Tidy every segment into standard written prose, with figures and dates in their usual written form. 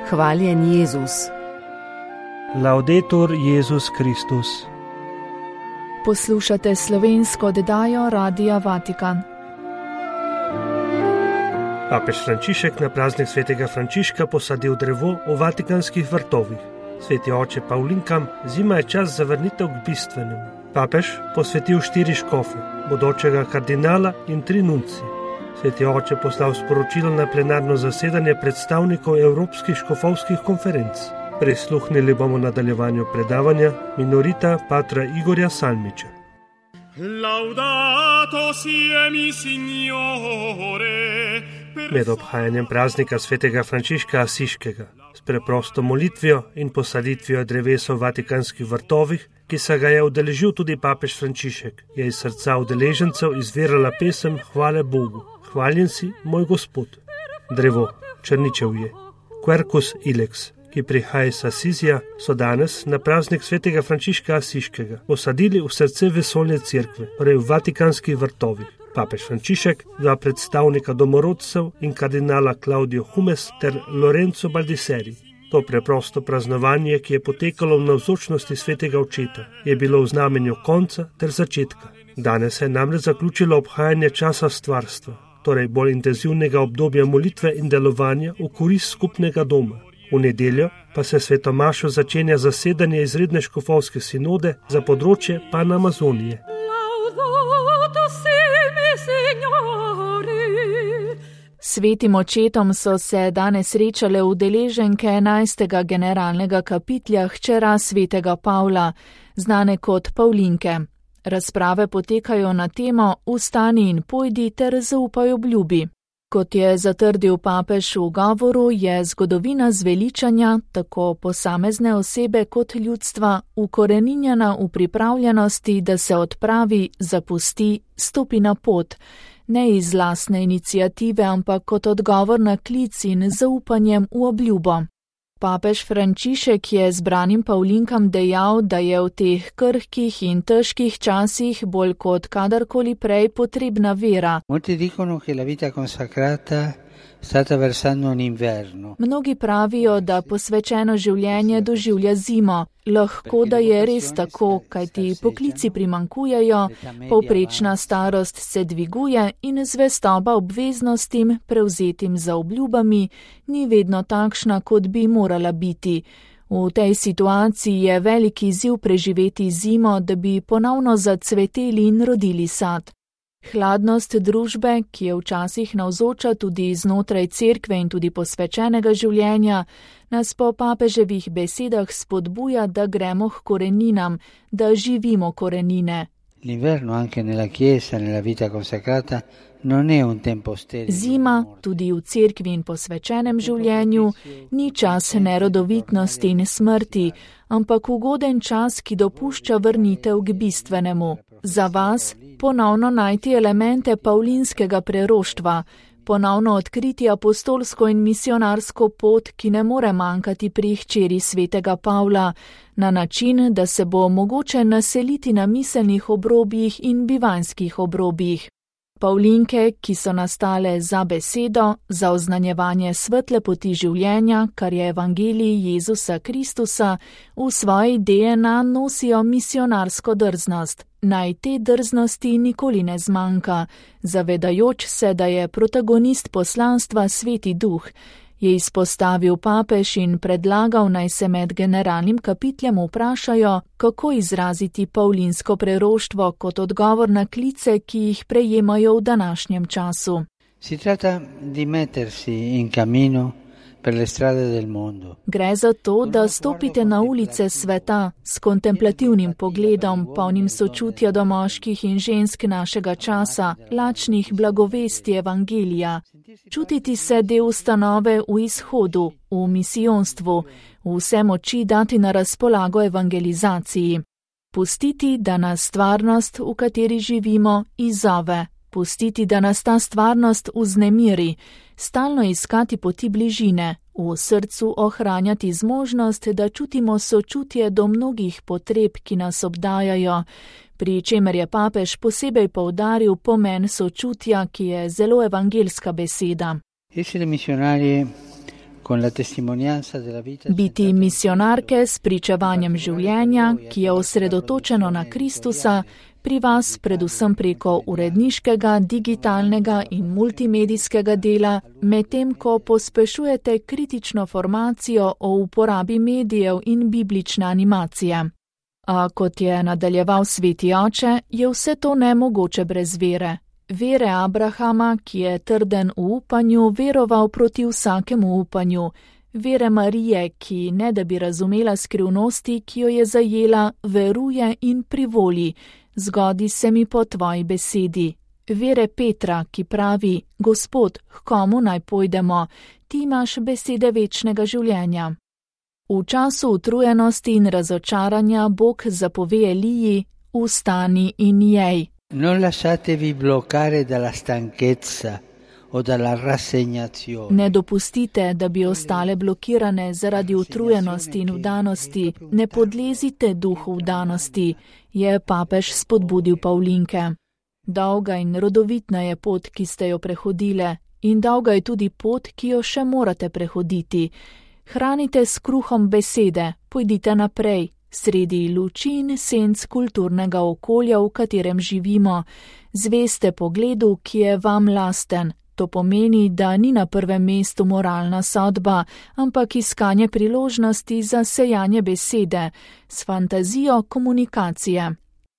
Hvaljen Jezus. Laudetur Jezus Kristus. Poslušate slovensko oddajo Radia Vatikan. Papež Frančišek na praznik svetega Frančiška posadil drevo v vatikanskih vrtovih. Sveti oče Pavlinkam, zima je čas za vrnitev k bistvenemu. Papež posvetil 4 škofe, bodočega kardinala in 3 nunci. Sveti oče poslal sporočilo na plenarno zasedanje predstavnikov Evropskih škofovskih konferenc. Prisluhnili bomo nadaljevanju predavanja minorita patra Igorja Salmiča. Laudato sia mi Signore. Med obhajanjem praznika svetega Frančiška Asiškega, s preprosto molitvijo in posaditvijo drevesa v vatikanskih vrtovih, ki se ga je udeležil tudi papež Frančišek, je iz srca udeležencev izvirala pesem Hvale Bogu. Hvaljen si, moj Gospod. Drevo, črničevje, Quercus ilex, ki prihaja iz Asizija, so danes na praznik svetega Frančiška Asiškega posadili v srce vesoljne cerkve, torej v vatikanskih vrtovih. Papež Frančišek, 2 predstavnika domorodcev in kardinala Claudio Humes ter Lorenzo Baldisseri. To preprosto praznovanje, ki je potekalo v navzočnosti svetega očeta, je bilo v znamenju konca ter začetka. Danes se je namreč zaključilo obhajanje časa stvarstva, torej bolj intenzivnega obdobja molitve in delovanja v korist skupnega doma. V nedeljo pa se svetomašo začenja zasedanje izredne škofovske sinode za področje Panamazonije. Svetim očetom so se danes srečale udeleženke 11. generalnega kapitlja hčera svetega Pavla, znane kot Pavlinke. Razprave potekajo na temo Vstani in pojdi ter zaupaj obljubi. Kot je zatrdil papež v govoru, je zgodovina zveličanja, tako posamezne osebe kot ljudstva, ukoreninjena v pripravljenosti, da se odpravi, zapusti, stopi na pot, ne iz lastne iniciative, ampak kot odgovor na klic in zaupanjem v obljubo. Papež Frančišek je zbranim Pavlinkam dejal, da je v teh krhkih in težkih časih bolj kot kadarkoli prej potrebna vera. Mnogi pravijo, da posvečeno življenje doživlja zimo. Lahko da je res tako, kajti poklici primanjkujejo, povprečna starost se dviguje in zvestoba obveznostim, prevzetim za obljubami, ni vedno takšna, kot bi morala biti. V tej situaciji je veliki izziv preživeti zimo, da bi ponovno zacveteli in rodili sad. Hladnost družbe, ki je včasih navzoča tudi znotraj cerkve in tudi posvečenega življenja, nas po papeževih besedah spodbuja, da gremo k koreninam, da živimo korenine. Zima, tudi v cerkvi in posvečenem življenju, ni čas nerodovitnosti in smrti, ampak ugoden čas, ki dopušča vrnitev k bistvenemu. Za vas ponovno najti elemente pavlinskega preroštva, ponovno odkriti apostolsko in misionarsko pot, ki ne more manjkati pri hčeri svetega Pavla, na način, da se bo mogoče naseliti na miselnih obrobjih in bivanjskih obrobjih. Pavlinke, ki so nastale za besedo, za oznanjevanje svetle poti življenja, kar je evangelij Jezusa Kristusa, v svoji DNA nosijo misionarsko drznost. Naj te drznosti nikoli ne zmanjka, zavedajoč se, da je protagonist poslanstva Sveti Duh, je izpostavil papež in predlagal, naj se med generalnim kapitljem vprašajo, kako izraziti pavlinsko preroštvo kot odgovor na klice, ki jih prejemajo v današnjem času. Gre za to, da stopite na ulice sveta s kontemplativnim pogledom, polnim sočutja do moških in žensk našega časa, lačnih blagovesti evangelija. Čutiti se del ustanove v izhodu, v misijonstvu, vse moči dati na razpolago evangelizaciji. Pustiti, da nas stvarnost, v kateri živimo, izzove. Pustiti, da nas ta stvarnost vznemiri, stalno iskati poti bližine, v srcu ohranjati zmožnost, da čutimo sočutje do mnogih potreb, ki nas obdajajo, pri čemer je papež posebej poudaril pomen sočutja, ki je zelo evangelska beseda. Biti misionarke s pričevanjem življenja, ki je osredotočeno na Kristusa, pri vas predvsem preko uredniškega, digitalnega in multimedijskega dela, medtem ko pospešujete kritično formacijo o uporabi medijev in biblične animacije. A kot je nadaljeval sveti oče, je vse to nemogoče brez vere. Vere Abrahama, ki je trden v upanju, veroval proti vsakemu upanju. Vere Marije, ki ne da bi razumela skrivnosti, ki jo je zajela, veruje in privoli. Zgodi se mi po tvoji besedi. Vere Petra, ki pravi: Gospod, k komu naj pojdemo? Ti imaš besede večnega življenja. V času utrujenosti in razočaranja Bog zapove Eliji: Vstani in jej. Non lasciatevi bloccare dalla stanchezza o dalla rassegnazione. Ne dopustite, da bi ostale blokirane zaradi utrujenosti in vdanosti. Ne podlezite duhu vdanosti, je papež spodbudil Pavlinke. Dolga in rodovitna je pot, ki ste jo prehodile, in dolga je tudi pot, ki jo še morate prehoditi. Hranite s kruhom besede, pojdite naprej. Sredi luči in senc kulturnega okolja, v katerem živimo, zveste pogledu, ki je vam lasten. To pomeni, da ni na prvem mestu moralna sodba, ampak iskanje priložnosti za sejanje besede, s fantazijo komunikacije.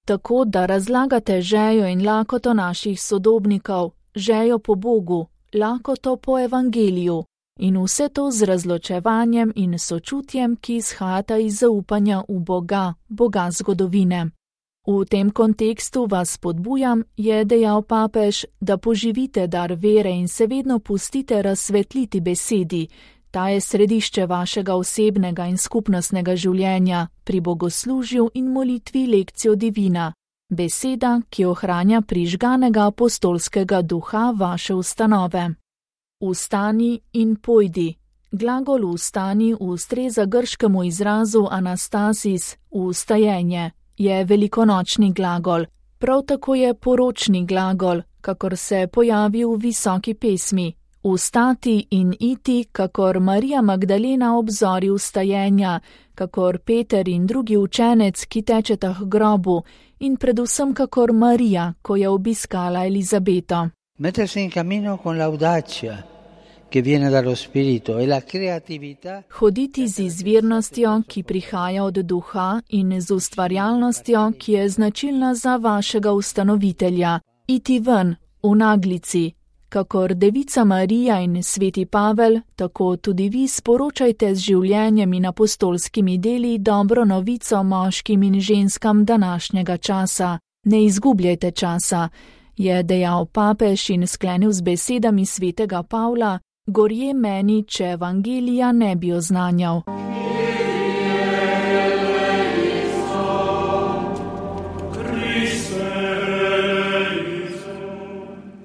Tako, da razlagate žejo in lakoto naših sodobnikov, žejo po Bogu, lakoto po evangeliju. In vse to z razločevanjem in sočutjem, ki izhajata iz zaupanja v Boga, Boga zgodovine. V tem kontekstu vas spodbujam, je dejal papež, da poživite dar vere in se vedno pustite razsvetliti besedi. Ta je središče vašega osebnega in skupnostnega življenja, pri bogoslužju in molitvi lekcijo divina. Beseda, ki ohranja prižganega apostolskega duha vaše ustanove. Vstani in pojdi. Glagol vstani ustreza grškemu izrazu anastasis, vstajenje. Je velikonočni glagol. Prav tako je poročni glagol, kakor se pojavi v visoki pesmi. Vstati in iti, kakor Marija Magdalena ob zori vstajenja, kakor Peter in drugi učenec, ki tečeta k grobu, in predvsem kakor Marija, ko je obiskala Elizabeto. Mettersi in cammino con l'audacia che viene dallo spirito e la creatività. Hoditi z izvirnostjo, ki prihaja od duha, in z ustvarjalnostjo, ki je značilna za vašega ustanovitelja. Iti ven, v naglici. Kakor devica Marija in sveti Pavel, tako tudi vi sporočajte z življenjem in apostolskimi deli dobro novico moškim in ženskam današnjega časa. Ne izgubljajte časa, je dejal papež in sklenil z besedami svetega Pavla: Gorje meni, če evangelija ne bi oznanjal.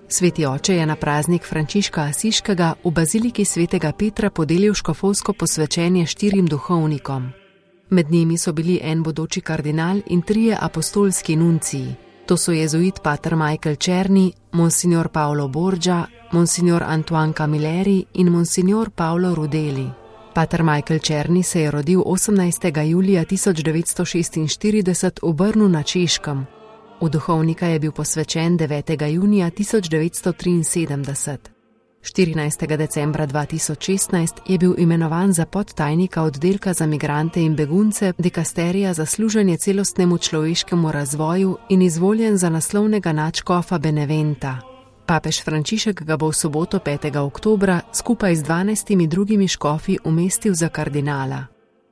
Sveti oče je na praznik Frančiška Asiškega v baziliki svetega Petra podelil škofovsko posvečenje 4 duhovnikom. Med njimi so bili en bodoči kardinal in 3 apostolski nunciji. To so jezuit pater Michael Černi, monsignor Paolo Borgia, monsignor Antoine Camilleri in monsignor Paolo Rudeli. Pater Michael Černi se je rodil 18. julija 1946 v Brnu na Češkem. V duhovnika je bil posvečen 9. junija 1973. 14. decembra 2016 je bil imenovan za podtajnika oddelka za migrante in begunce dikasterija za služenje celostnemu človeškemu razvoju in izvoljen za naslovnega nadškofa Beneventa. Papež Frančišek ga bo v soboto 5. oktobra skupaj z 12 drugimi škofi umestil za kardinala.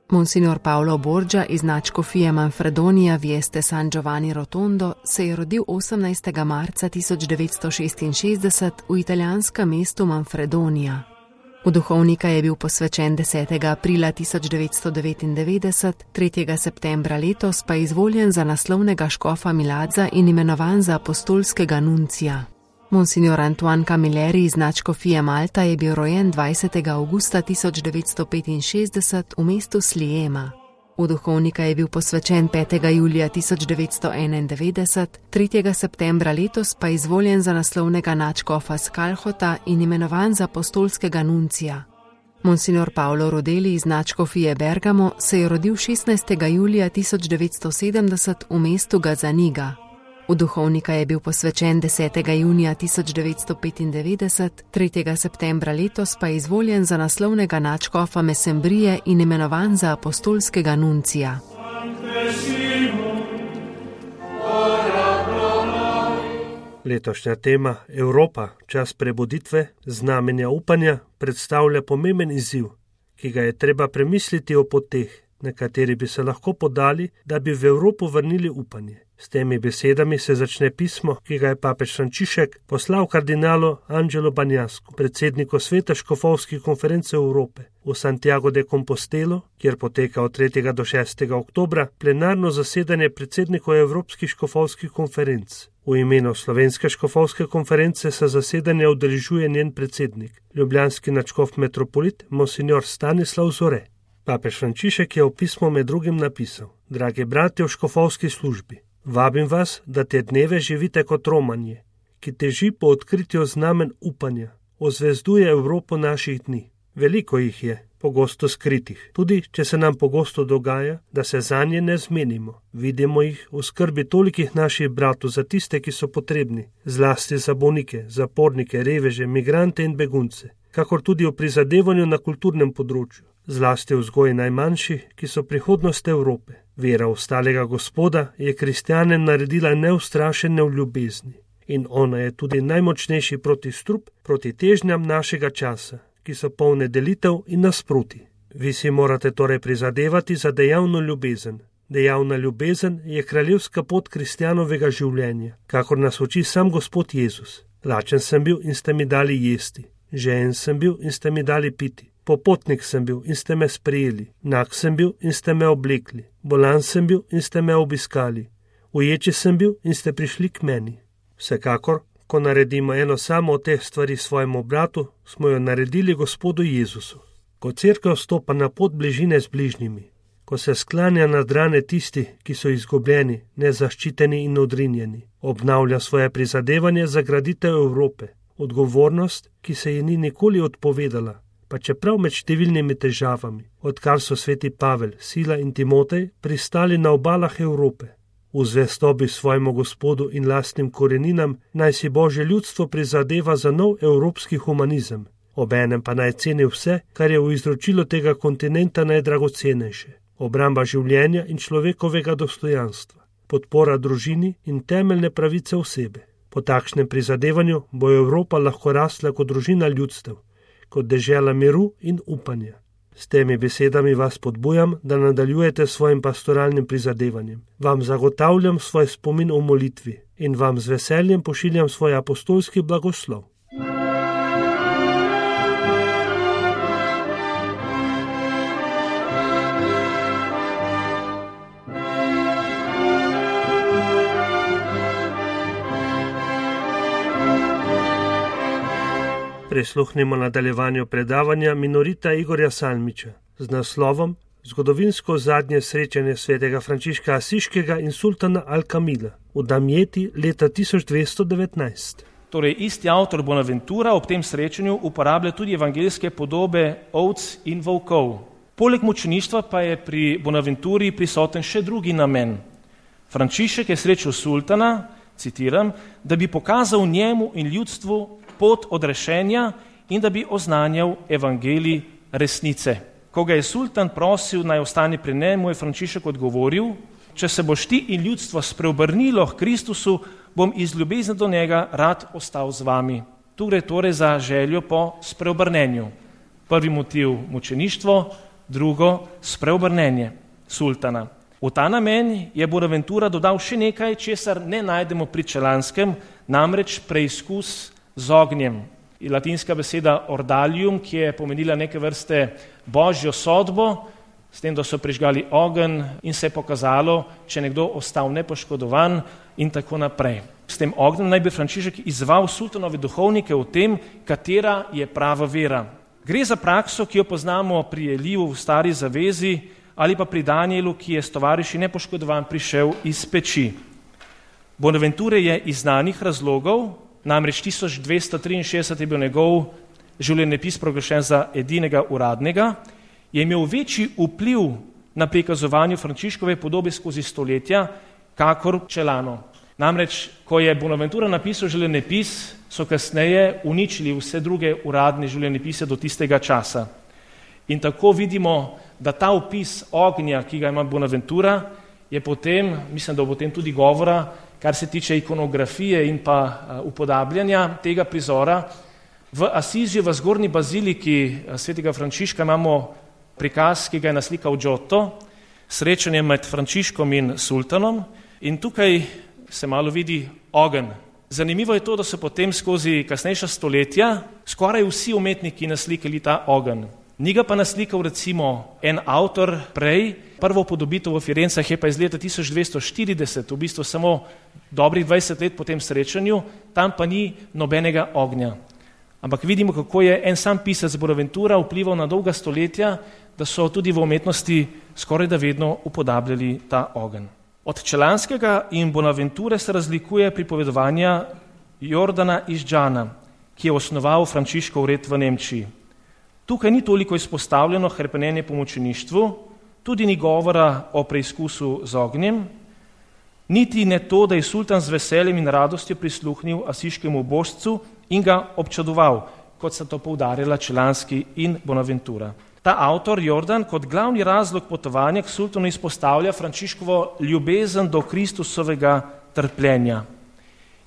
Monsignor Paolo Borgia iz nadškofije Manfredonia Vieste San Giovanni Rotondo se je rodil 18. marca 1966 v italijanskem mestu Manfredonia. V duhovnika je bil posvečen 10. aprila 1999, 3. septembra letos pa izvoljen za naslovnega škofa Milazza in imenovan za apostolskega nuncija. Monsignor Antoine Camilleri iz nadškofije Malta je bil rojen 20. avgusta 1965 v mestu Sliema. V duhovnika je bil posvečen 5. julija 1991, 3. septembra letos pa izvoljen za naslovnega nadškofa Skalhota in imenovan za apostolskega nuncija. Monsignor Paolo Rodeli iz nadškofije Bergamo se je rodil 16. julija 1970 v mestu Gazzaniga. V duhovnika je bil posvečen 10. junija 1995, 3. septembra letos pa je izvoljen za naslovnega nadškofa Mesembrije in imenovan za apostolskega nuncija. Letošnja tema Evropa, čas prebuditve, znamenja upanja, predstavlja pomemben izziv, ki ga je treba premisliti o poteh, na kateri bi se lahko podali, da bi v Evropo vrnili upanje. S temi besedami se začne pismo, ki ga je papež Frančišek poslal kardinalu Angelu Banjasku, predsedniku Svete škofovske konference Evrope, v Santiago de Compostelo, kjer poteka od 3. do 6. oktobra plenarno zasedanje predsednikov Evropskih škofovskih konferenc. V imenu Slovenske škofovske konference se zasedanja udeležuje njen predsednik, ljubljanski nadškof metropolit Monsignor Stanislav Zore. Papež Frančišek je v pismu med drugim napisal: Dragi bratje v škofovski službi, vabim vas, da te dneve živite kot Romanje, ki teži po odkritju znamen upanja, ozvezduje Evropo naših dni. Veliko jih je, pogosto skritih, tudi če se nam pogosto dogaja, da se zanje ne zmenimo. Vidimo jih v skrbi tolikih naših bratov za tiste, ki so potrebni, zlasti za bolnike, zapornike, reveže, migrante in begunce, kakor tudi v prizadevanju na kulturnem področju, zlasti v vzgoji najmanjših, ki so prihodnost Evrope. Vera ostalega Gospoda je kristjane naredila neustrašene v ljubezni in ona je tudi najmočnejši protistrup proti težnjam našega časa, ki so polne delitev in nasproti. Vi si morate torej prizadevati za dejavno ljubezen. Dejavna ljubezen je kraljevska pot kristjanovega življenja, kakor nas uči sam Gospod Jezus. Lačen sem bil in ste mi dali jesti, žejen sem bil in ste mi dali piti, popotnik sem bil in ste me sprejeli, nag sem bil in ste me oblekli, bolan sem bil in ste me obiskali, uječi sem bil in ste prišli k meni. Vsekakor, ko naredimo eno samo od teh stvari svojemu bratu, smo jo naredili Gospodu Jezusu. Ko cerkev stopa na pot bližine z bližnjimi, ko se sklanja nad rane tisti, ki so izgubljeni, nezaščiteni in odrinjeni, obnavlja svoje prizadevanje za graditev Evrope, odgovornost, ki se ji ni nikoli odpovedala, pa čeprav med številnimi težavami, odkar so sveti Pavel, Sila in Timotej pristali na obalah Evrope. V zvestobi svojemu Gospodu in lastnim koreninam naj si Božje ljudstvo prizadeva za nov evropski humanizem, obenem pa naj ceni vse, kar je v izročilu tega kontinenta najdragocenejše, obramba življenja in človekovega dostojanstva, podpora družini in temeljne pravice osebe. Po takšnem prizadevanju bo Evropa lahko rasla kot družina ljudstev, kot dežela miru in upanja. S temi besedami vas podbujam, da nadaljujete svojim pastoralnim prizadevanjem. Vam zagotavljam svoj spomin v molitvi in vam z veseljem pošiljam svoj apostolski blagoslov. Prisluhnimo nadaljevanju predavanja minorita Igorja Salmiča z naslovom Zgodovinsko zadnje srečanje svetega Frančiška Asiškega in sultana Al-Kamila v Damjeti leta 1219. Torej, isti avtor Bonaventura ob tem srečanju uporablja tudi evangeljske podobe ovc in volkov. Poleg mučeništva pa je pri Bonaventuri prisoten še drugi namen. Frančišek je srečal sultana, citiram, da bi pokazal njemu in ljudstvu pot odrešenja in da bi oznanjal evangelij resnice. Ko ga je sultan prosil, naj ostane pri njemu, je Frančišek odgovoril: če se boš ti in ljudstvo spreobrnilo k Kristusu, bom iz ljubezni do njega rad ostal z vami. Tu gre torej za željo po spreobrnenju. Prvi motiv mučeništvo, drugo spreobrnenje sultana. V ta namen je Bonaventura dodal še nekaj, česar ne najdemo pri Čelanskem, namreč preizkus z ognjem. Latinska beseda ordalium, ki je pomenila neke vrste božjo sodbo, s tem, da so prižgali ogenj in se je pokazalo, če nekdo ostal nepoškodovan in tako naprej. S tem ognjem naj bi Frančišek izzval sultanove duhovnike v tem, katera je prava vera. Gre za prakso, ki jo poznamo pri Eliju v Stari zavezi ali pa pri Danielu, ki je s tovariši nepoškodovan prišel iz peči. Bonaventure je iz znanih razlogov, namreč 1263 je bil njegov življenjepis proglašen za edinega uradnega, je imel večji vpliv na prikazovanje Frančiškove podobe skozi stoletja, kakor Celano. Namreč, ko je Bonaventura napisal življenjepis, so kasneje uničili vse druge uradne življenjepise do tistega časa. In tako vidimo, da ta opis ognja, ki ga ima Bonaventura, je potem, mislim, da bo potem tudi govora, kar se tiče ikonografije in pa upodabljanja tega prizora. V Asiziju, v zgornji baziliki svetega Frančiška imamo prikaz, ki ga je naslikal Giotto, srečanje med Frančiškom in sultanom, in tukaj se malo vidi ogenj. Zanimivo je to, da so potem skozi kasnejša stoletja skoraj vsi umetniki naslikali ta ogenj. Ni ga pa naslikal recimo en avtor prej, prvo upodobitev v Firencah je pa iz leta 1240, v bistvu samo dobrih 20 let po tem srečanju, tam pa ni nobenega ognja. Ampak vidimo, kako je en sam pisec Bonaventura vplival na dolga stoletja, da so tudi v umetnosti skoraj da vedno upodabljali ta ogenj. Od Celanskega in Bonaventure se razlikuje pripovedovanja Jordana iz Džana, ki je osnoval Frančiškov red v Nemčiji. Tukaj ni toliko izpostavljeno hrepenenje po mučeništvu, tudi ni govora o preizkusu z ognjem, niti ne to, da je sultan z veseljem in radostjo prisluhnil asiškemu božcu in ga občudoval, kot sta to poudarjala Celanski in Bonaventura. Ta avtor, Jordan, kot glavni razlog potovanja k sultanu izpostavlja Frančiškovo ljubezen do Kristusovega trpljenja.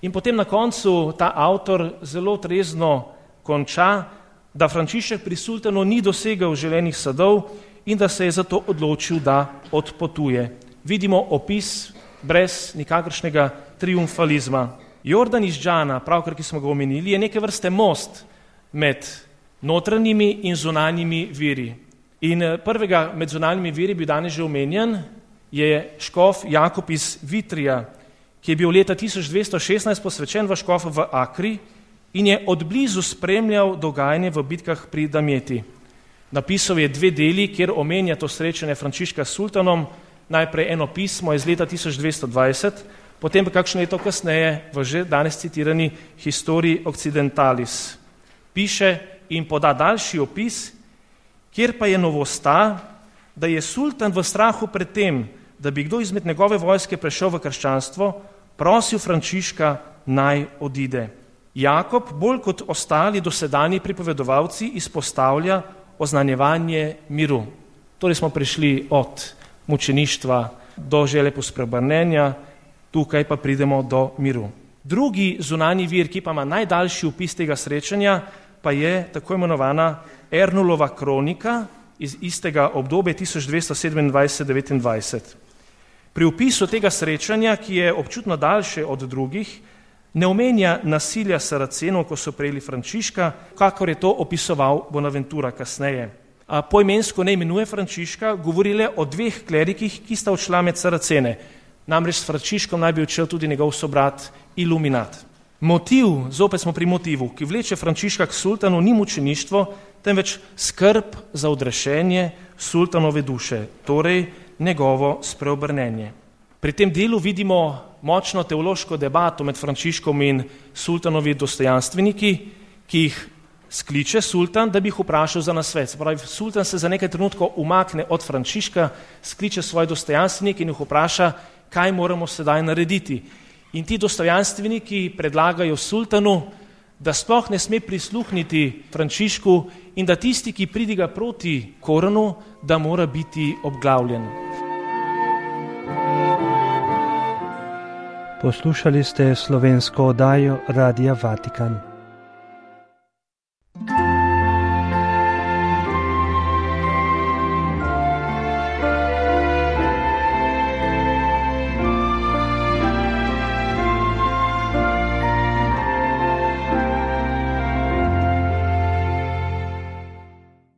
In potem na koncu ta avtor zelo trezno konča, da Frančišek pri sultanu ni dosegel želenih sadov in da se je zato odločil, da odpotuje. Vidimo opis brez nikakršnega triumfalizma. Jordan iz Džana, pravkar ki smo ga omenili, je neke vrste most med notranjimi in zunanjimi viri. In prvega med zunanjimi viri, bil danes že omenjen, je škof Jakob iz Vitrija, ki je bil leta 1216 posvečen v škofa v Akri in je odblizu spremljal dogajanje v bitkah pri Damjeti. Napisal je 2 deli, kjer omenja to srečanje Frančiška s sultanom, najprej eno pismo iz leta 1220, potem pa kakšno leto kasneje v že danes citirani Historii Occidentalis. Piše in poda daljši opis, kjer pa je novost ta, da je sultan v strahu pred tem, da bi kdo izmed njegove vojske prešel v krščanstvo, prosil Frančiška naj odide. Jakob, bolj kot ostali dosedanji pripovedovalci, izpostavlja oznanjevanje miru. Torej smo prišli od mučeništva do želje po spreobrnenja, tukaj pa pridemo do miru. Drugi zunanji vir, ki pa ima najdaljši opis tega srečanja, pa je tako imenovana Ernulova kronika iz istega obdobja 1227-29. Pri opisu tega srečanja, ki je občutno daljše od drugih, ne omenja nasilja Saracenov, ko so prejeli Frančiška, kakor je to opisoval Bonaventura kasneje. Poimensko ne imenuje Frančiška, govori le o 2 klerikih, ki sta odšla med Saracene. Namreč s Frančiškom naj bi odšel tudi njegov sobrat Iluminat. Motiv, zopet smo pri motivu, ki vleče Frančiška k sultanu, ni mučeništvo, temveč skrb za odrešenje sultanove duše, torej njegovo spreobrnenje. Pri tem delu vidimo močno teološko debato med Frančiškom in sultanovi dostojanstveniki, ki jih skliče sultan, da bi jih vprašal za nasvet. Se pravi, sultan se za nekaj trenutkov umakne od Frančiška, skliče svoje dostojanstvenike in jih vpraša, kaj moramo sedaj narediti. In ti dostojanstveniki predlagajo sultanu, da sploh ne sme prisluhniti Frančišku in da tisti, ki pridiga proti Koranu, da mora biti obglavljen. Poslušali ste slovensko oddajo Radia Vatikan.